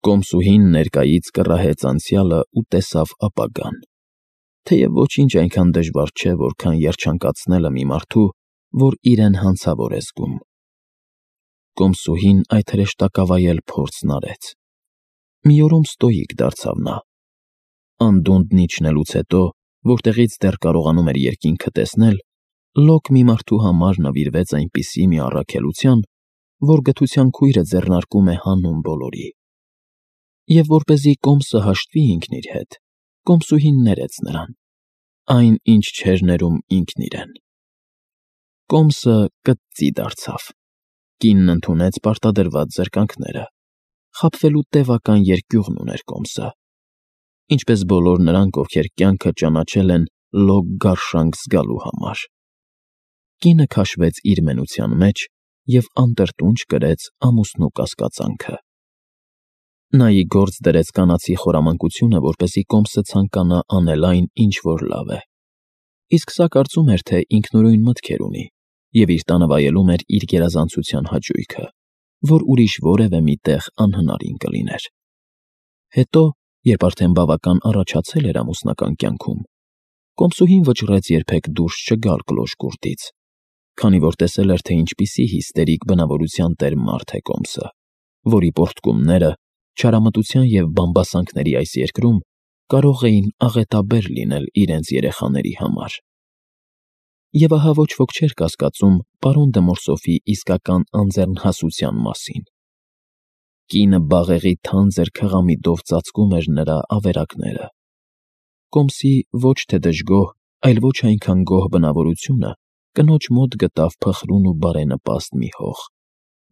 Կոմսուհին ներկայից կռահեց անցյալը ու տեսավ ապագան, թեև ոչինչ այնքան դժվար չէ, որքան երջանկացնելը մի մարդու, որ իրեն հանցավոր է զգում։ Կոմսուհին այդ հրեշտակավայել փորձն արեց։ Մի օրում ստոիկ դարձավ նա։ Անդունդն իջնելուց հետո, որտեղից դեռ կարողանում էր երկինքը տեսնել, լոկ մի մարդու համար նվիրվեց այնպիսի մի առաքելության, որ գթության քույրը ձեռնարկում է հանուն բոլորի։ Եվ որպեսզի Կոմսը հաշտվի ինքն իր հետ, Կոմսուհին ներեց նրան, այն, ինչ չէր ներում ինքն իրեն։ Կոմսը կծծի դարձավ։ Կինն ընդունեց պարտադրված զրկանքները։ Խաբվելու տևական երկյուղն ուներ Կոմսը, ինչպես բոլոր նրանք, ովքեր կյանքը ճանաչել են լոկ գարշանք զգալու համար։ Կինը քաշվեց իր մենության մեջ և անտրտունջ կրեց ամուսնու կասկածանքը։ Նա ի գործ դրեց կանացի խորամանկությունը, որպեսզի Կոմսը ցանկանա անել այն, ինչ որ լավ է։ Իսկ սա կարծում էր, թե ինքնուրույն մտքեր ունի և իր տանը վայելում էր իր գերազանցության հաճույքը, որ ուրիշ որևէ մի տեղ անհնարին կլիներ։ Հետո, երբ արդեն բավական առաջացել էր ամուսնական կյանքում, Կոմսուհին վճռեց երբեք դուրս չգալ կլոշկուրտից, քանի որ տեսել էր, թե ինչպիսի հիստերիկ բնավորության տեր մարդ է Կոմսը, որի պոռթկումները չարամտության և բամբասանքների այս երկրում կարող էին աղետաբեր լինել իրենց երեխաների համար։ Եվ ահա ոչ ոք չէր կասկածում պարոն դը Մորսոֆի իսկական անձեռնհասության մասին։ Կինը բաղեղի թանձր քղամիտով ծածկում էր նրա ավերակները։ Կոմսի ոչ թե դժգոհ, այլ ոչ այնքան գոհ բնավորությունը կնոջ մոտ գտավ փխրուն ու բարենպաստ մի հող,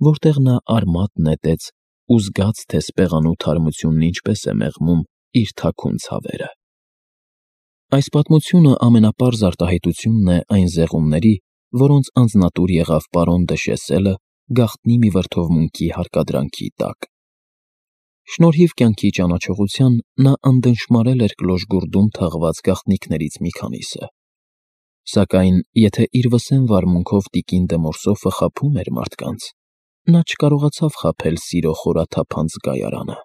որտեղ նա արմատ նետեց ու զգաց, թե սպեղանու թարմությունն ինչպես է մեղմում իր թաքուն ցավերը։ Այս պատմությունը ամենապարզ արտահայտությունն է այն զեղումների, որոնց անձնատուր եղավ պարոն դը Շեսելը գաղտնի մի վրդովմունքի հարկադրանքի տակ։ Շնորհիվ կյանքի ճանաչողության նա անդնշմարել էր կլոշգուրդում թաղված գաղտնիքներից մի քանիսը։ Սակայն, եթե իր վսեմ վարմունքով տիկին դը Մորսոֆը խաբում էր մարդկանց, նա չկարողացավ խաբել սիրո խորաթափանց զգայարանը։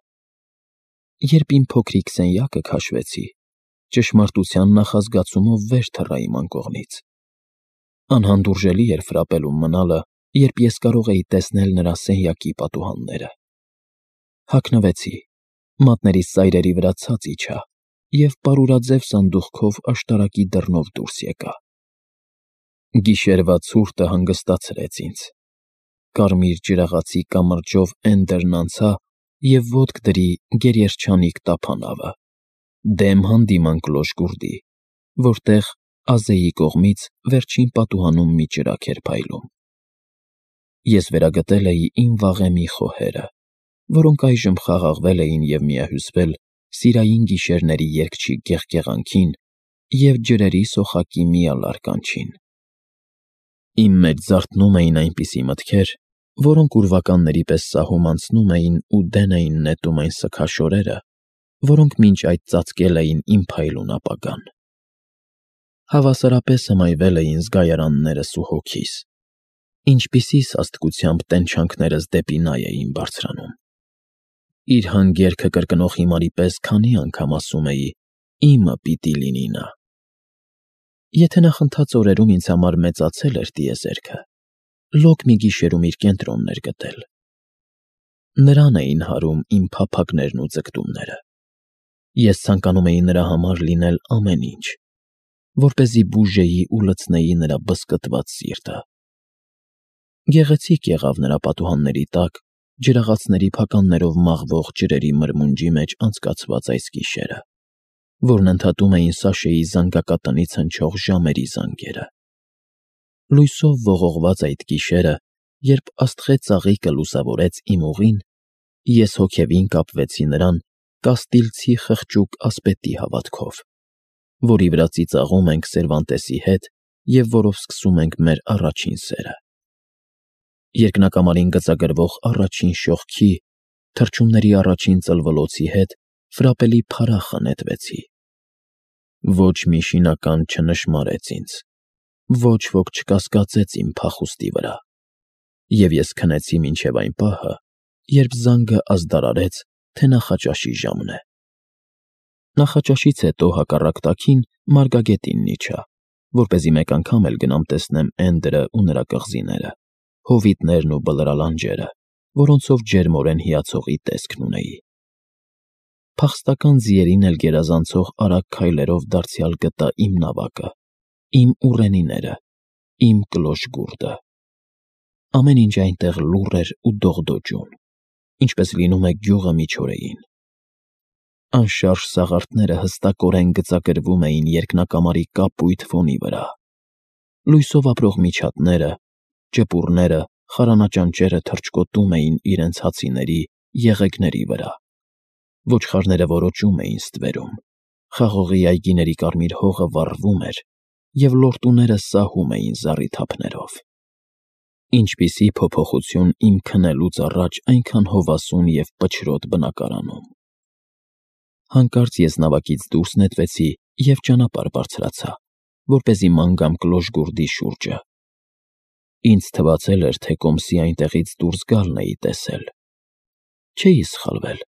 Երբ իմ փոքրիկ սենյակը քաշվեցի, ճշմարտության նախազգացումով վեր թռա իմ անկողնից։ Անհանդուրժելի էր ֆրապելում մնալը, երբ ես կարող էի տեսնել նրա սենյակի պատուհանները։ Հագնվեցի, մատներիս ծայրերի վրա ցած իջա և պարուրաձև սանդուղքով աշտարակի դռնով դուրս եկա։ Գիշերվա ցուրտը հանգստացրեց ինձ։ Կարմիր ջրաղացի կամրջով էնդերն անցա և ոտք դրի գերերջանիկ տափանավը, դեմ հանդիման կլոշգուրդի, որտեղ Ազեի կողմից վերջին պատուհանում մի ճրագ էր փայլում։ Ես վերագտել էի իմ վաղեմի խոհերը, որոնք այժմ խաղաղվել էին և միահյուսվել սիրային գիշերների երգչի գեղգեղանքին և ջրերի սոխակի միալար կանչին։ Իմ մեջ զարթնում էին այնպիսի մտքեր, որոնք ուրվականների պես սահում անցնում էին ու դեն էին նետում այն սգաշորերը, որոնք մինչ այդ ծածկել էին իմ փայլուն ապագան։ Հավասարապես հմայվել էին զգայարաններս ու հոգիս, ինչպիսի սաստկությամբ տենչանքներս դեպի նա էին բարձրանում։ Իր հանգերքը կրկնող հիմարի պես քանի անգամ ասում էի. «Իմը պիտի լինի նա»։ Եթե նախընթաց օրերում ինձ համար մեծացել էր տիեզերքը, լոկ մի գիշերում իր կենտրոնն էր գտել։ Նրան էին հարում իմ փափագներն ու ձգտումները։ Ես ցանկանում էի նրա համար լինել ամեն ինչ, որպեսզի բուժեի ու լցնեի նրա բզկտված սիրտը։ Գեղեցիկ եղավ նրա պատուհանների տակ ջրաղացների փականներով մաղվող ջրերի մրմունջի մեջ անցկացված այս գիշերը, որն ընդհատում էին Սաշեի զանգակատնից հնչող ժամերի զանգերը։ Լույսով ողողված այդ գիշերը, երբ աստղե ծաղիկը լուսավորեց իմ ուղին, ես հոգևին կապվեցի նրան կաստիլցի խղճուկ ասպետի հավատքով, որի վրա ծիծաղում ենք Սերվանտեսի հետ և որով սկսում ենք մեր առաջին սերը։ Երկնակամարին գծագրվող առաջին շողքի, թռչունների առաջին ծլվլոցի հետ ֆրապելի փարախը նետվեցի։ Ոչ մի շինական չնշմարեց ինձ, ոչ ոք չկասկածեց իմ փախուստի վրա, և ես քնեցի մինչև այն պահը, երբ զանգը ազդարարեց, թե նախաճաշի ժամն է։ Նախաճաշից հետո հակառակ տաքին մարգագետինն իջա, որպեսզի մեկ անգամ էլ գնամ տեսնեմ Էնդրը ու նրա կղզիները, հովիտներն ու բլրալանջերը, որոնցով ջերմորեն հիացողի տեսքն ունեի։ Փախստական ձիերին էլ գերազանցող արագ քայլերով դարձյալ գտա իմ նավակը, իմ ուռենիները, իմ կլոր գուրդը։ Ամեն ինչ այնտեղ լուռ էր ու դողդոջուն, ինչպես լինում է գյուղը միջօրեին։ Անշարժ սաղարթները հստակորեն գծագրվում էին երկնակամարի կապույտ ֆոնի վրա։ Լույսով ապրող միջատները, ճեպուռները, խարանաճանճերը թռչկոտում էին իրենց հացիների, եղեգների վրա։ Ոչխարները որոճում էին ստվերում, խաղողի այգիների կարմիր հողը վառվում էր, և լորտուները սահում էին զառիթափներով։ Ինչպիսի փոփոխություն իմ քնելուց առաջ այնքան հովասուն և պչրոտ բնակարանում։ Հանկարծ ես նավակից դուրս նետվեցի և ճանապարհ բարձրացա, որպեսզի ման գամ կլոժգուրդի շուրջը։ Ինձ թվացել էր, թե կոմսի այնտեղից դուրս գալն էի տեսել։ Չէի սխալվել։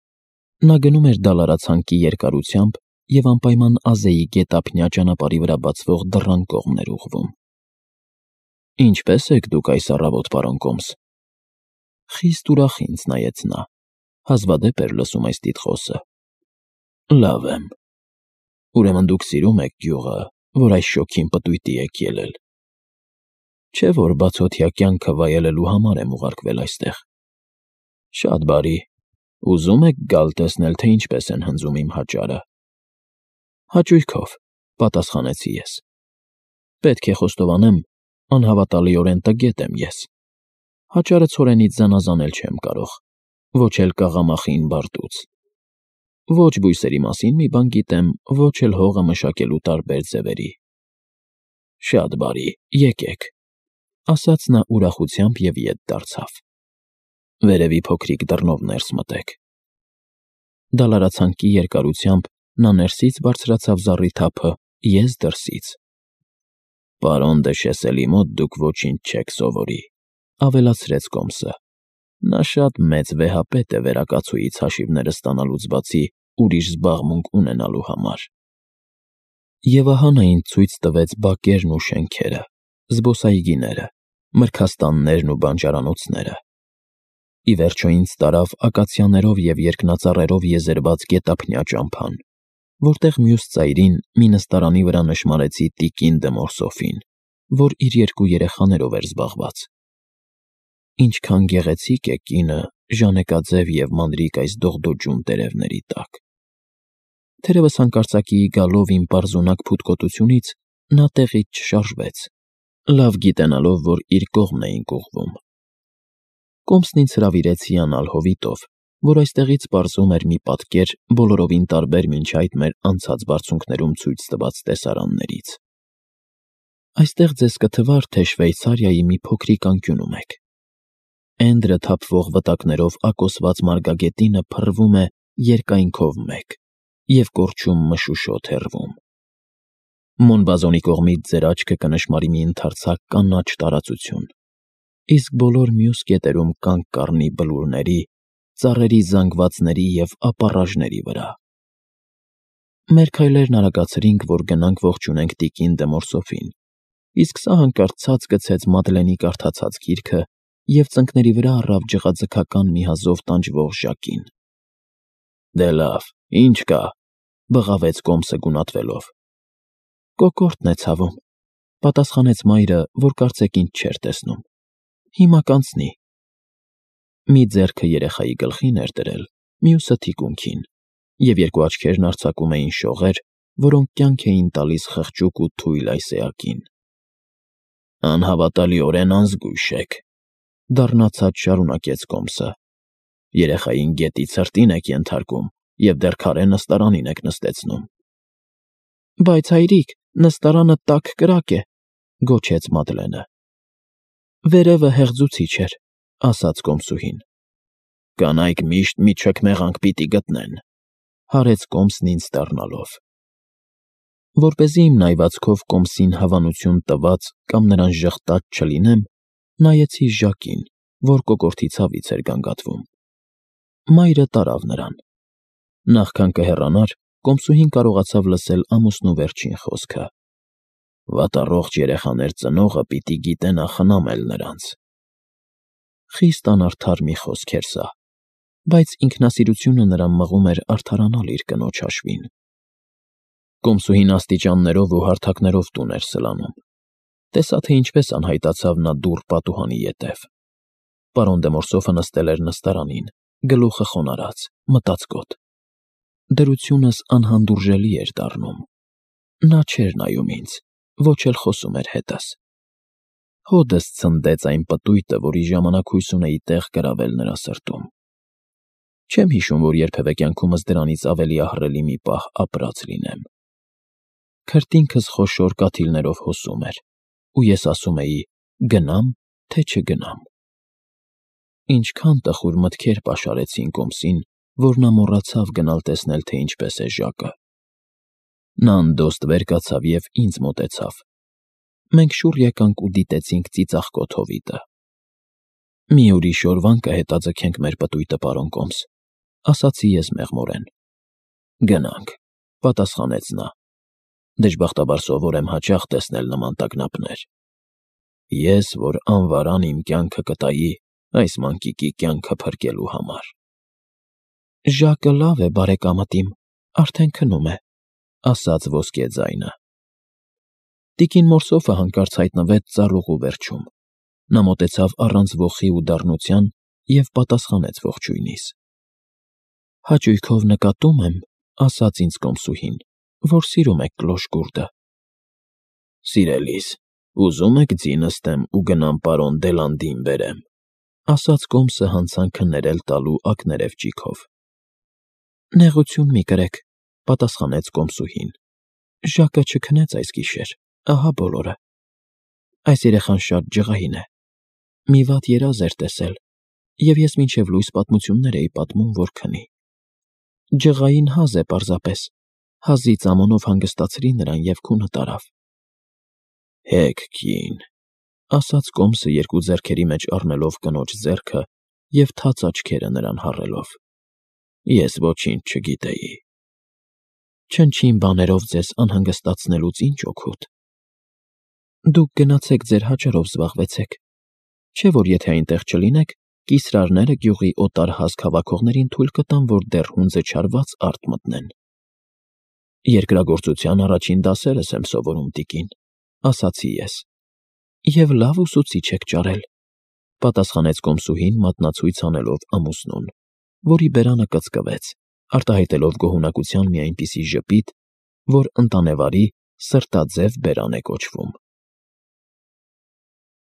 Նա գնում էր դալարացանկի երկարությամբ և անպայման Ազեի գետափնյա ճանապարհի վրա բացվող դռան կողմն էր ուղղվում։ «Ինչպե՞ս եք դուք այս առավոտ, պարոն Կոմս»։ Խիստ ուրախ ինձ նայեց նա, հազվադեպ էր լսում այս տիտղոսը։ «Լավ եմ։ Ուրեմն դուք սիրում եք գյուղը, որ այս շոգին պտույտի եք ելել։ Չէ՞ որ բացօթյա կյանքը վայելելու համար եմ ուղարկվել այստեղ։ Շատ բարի։ Ուզում եք գալ տեսնել, թե ինչպես են հնձում իմ հաճարը»։ «Հաճույքով», պատասխանեցի ես։ «Պետք է խոստովանեմ, անհավատալիորեն տգետ եմ ես։ Հաճարը ցորենից զանազանել չեմ կարող, ոչ էլ կաղամախին բարտուց։ Ոչ բույսերի մասին մի բան գիտեմ, ոչ էլ հողը մշակելու տարբեր ձևերի»։ «Շատ բարի, եկեք», ասաց նա ուրախությամբ և ետ դարձավ։ «Վերևի փոքրիկ դռնով ներս մտեք»։ Դալարացանկի երկարությամբ նա ներսից բարձրացավ զառիթափը, ես դրսից։ «Պարոն դե Շեսելի մոտ դուք ոչինչ չեք սովորի», ավելացրեց Կոմսը։ Նա շատ մեծ վեհապետ է վերակացուից հաշիվները ստանալուց բացի ուրիշ զբաղմունք ունենալու համար։ Եվ ահա նա ինձ ցույց տվեց բակերն ու շենքերը, զբոսայգիները, մրգաստաններն ու բանջարանոցները։ Ի վերջո ինձ տարավ ակացիաներով և երկնածառերով եզերված գետափնյա ճամփան, որտեղ մյուս ծայրին մի նստարանի վրա նշմարեցի տիկին դը Մորսոֆին, որ իր 2 երեխաներով էր զբաղված։ Ինչքան գեղեցիկ է կինը ժանեկաձև և մանրիկ այս դողդոջուն տերևների տակ։ Թերևս հանկարծակիի գալով իմ պարզունակ փութկոտությունից նա տեղից չշարժվեց, լավ գիտենալով, որ իր կողմն էինք ուղղվում։ Կոմսն ինձ հրավիրեց հիանալ հովիտով, որ այստեղից պարզում էր մի պատկեր բոլորովին տարբեր մինչ այդ մեր անցած բարձունքներում ցույց տված տեսարաններից։ Այստեղ ձեզ կթվար, թե Շվեյցարիայի մի փոքրիկ անկյունում եք։ Էնդրը թափվող վտակներով ակոսված մարգագետինը փռվում է երկայնքով մեկ և կորչում մշուշոտ հեռվում։ Մոնբազոնի կողմից ձեր աչքը կնշմարի մի ընդարձակ կանաչ տարածություն, իսկ բոլոր մյուս կետերում կանգ կառնի բլուրների, ծառերի զանգվածների և ապառաժների վրա։ Մեր քայլերն արագացրինք, որ գնանք ողջունենք տիկին դը Մորսոֆին, իսկ սա հանկարծ ցած գցեց Մադլենի կարդացած գիրքը և ծնկների վրա առավ ջղաձգական մի հազով տանջվող ժակին։ «Դե լավ, ինչ կա», բղավեց Կոմսը գունատվելով։ «Կոկորդն է ցավում», պատասխանեց մայրը, որ կարծեք ինձ չէր տեսնում։ «Հիմա կանցնի»։ Մի ձեռքը երեխայի գլխին էր դրել, մյուսը թիկունքին, և 2 աչքերն արձակում էին շողեր, որոնք կյանք էին տալիս խղճուկ ու թույլ այս էակին։ «Անհավատալիորեն անզգույշ եք», դառնացած շարունակեց Կոմսը։ «Երեխային գետի ցրտին եք ենթարկում և դեռ քարե նստարանին եք նստեցնում»։ «Բայց հայրիկ, նստարանը տաք կրակ է», գոչեց Մադլենը։ «Վերևը հեղձուցիչ էր», ասաց կոմսուհին։ «Կանայք միշտ մի չքմեղանք պիտի գտնեն», հարեց Կոմսն ինձ դառնալով։ Որպեսզի իմ նայվածքով Կոմսին հավանություն տված կամ նրան ժղտած չլինեմ, նայեցի ժակին, որ կոկորդի ցավից էր գանգատվում։ Մայրը տարավ նրան, Նախքան կհեռանար, կոմսուհին կարողացավ լսել ամուսնու վերջին խոսքը. «Վատառողջ երեխաներ ծնողը պիտի գիտենա խնամել նրանց»։ Խիստ անարդար մի խոսք էր սա, բայց ինքնասիրությունը նրան մղում էր արդարանալ իր կնոջ հաշվին։ Կոմսուհին աստիճաններով ու հարթակներով տուն էր սլանում։ Տեսա, թե ինչպես անհայտացավ նա դուռ պատուհանի ետև։ Պարոն դե Մորսոֆը նստել էր նստարանին, գլուխը խոնարհած, մտածկոտ։ Դրությունս անհանդուրժելի էր դառնում։ Նա չէր նայում ինձ, ոչ էլ խոսում էր հետս։ Հոդս ցնդեց այն պտույտը, որի ժամանակ հույս ունեի տեղ գրավել նրա սրտում։ Չեմ հիշում, որ երբևէ կյանքումս դրանից ավելի ահռելի մի պահ ապրած լինեմ։ Քրտինքս խոշոր կաթիլներով հոսում էր, ու ես ասում էի՝ գնամ, թե չգնամ։ Ինչքան տխուր մտքեր պաշարեցին կոմսին, որ նա մոռացավ գնալ տեսնել, թե ինչպես է Ժակը։ Նա անդոստ վեր կացավ և ինձ մոտեցավ։ Մենք շուռ եկանք ու դիտեցինք ծիծաղկոտ հովիտը։ «Մի ուրիշ օրվան կհետաձգենք մեր պտույտը, պարոն կոմս», ասացի ես մեղմորեն։ «Գնանք», պատասխանեց նա։ Դժբախտաբար սովոր եմ հաճախ տեսնել նման տագնապներ։ Ես, որ անվարան իմ կյանքը կտայի այս մանկիկի կյանքը փրկելու համար։ «Ժակը լավ է, բարեկամդ իմ, արդեն քնում է», ասաց ոսկե ձայնը։ Տիկին Մորսոֆը հանկարծ հայտնվեց ծառուղու վերջում։ Նա մոտեցավ առանց ոխի ու դառնության և պատասխանեց ողջույնիս։ «Հաճույքով նկատում եմ», ասաց ինձ կոմսուհին, «որ սիրում եք կլոշկուրդը»։ «Սիրելիս, ուզում եք ձի նստեմ ու գնամ պարոն Դելանդին բերեմ», ասաց կոմսը հանցանքը ներել տալու ակներև ճիգով։ «Նեղություն մի կրեք», պատասխանեց կոմսուհին։ «Ժակը չքնեց այս գիշեր, ահա բոլորը։ Այս երեխան շատ ջղային է։ Մի վատ երազ էր տեսել, և ես մինչև լույս պատմություններ էի պատմում, որ քնի։ Ջղային հազ է պարզապես, հազի ծամոնով հանգստացրի նրան և քունը տարավ»։ «Հեք կին», ասաց կոմսը երկու ձեռքերի մեջ առնելով կնոջ ձեռքը և թաց աչքերը նրան հառելով։ «Ես ոչինչ չգիտեի»։ «Չնչին բաներով ձեզ անհանգստացնելուց ինչ օգուտ։ Դուք գնացեք ձեր հաճարով զբաղվեցեք, չէ՞ որ եթե այնտեղ չլինեք, կիսրարները գյուղի օտար հասք հավաքողներին թույլ կտան, որ դեռ հունձը չարված արդ մտնեն»։ «Երկրագործության առաջին դասերս եմ սովորում, տիկին», ասացի ես։ «Եվ լավ ուսուցիչ եք ճարել», պատասխանեց կոմսուհին մատնացույց անելով ամուսնուն, որի բերանը կծկվեց, արտահայտելով գոհունակության մի այնպիսի ժպիտ, որ ընտանեվարի սրտաձև բերան է կոչվում։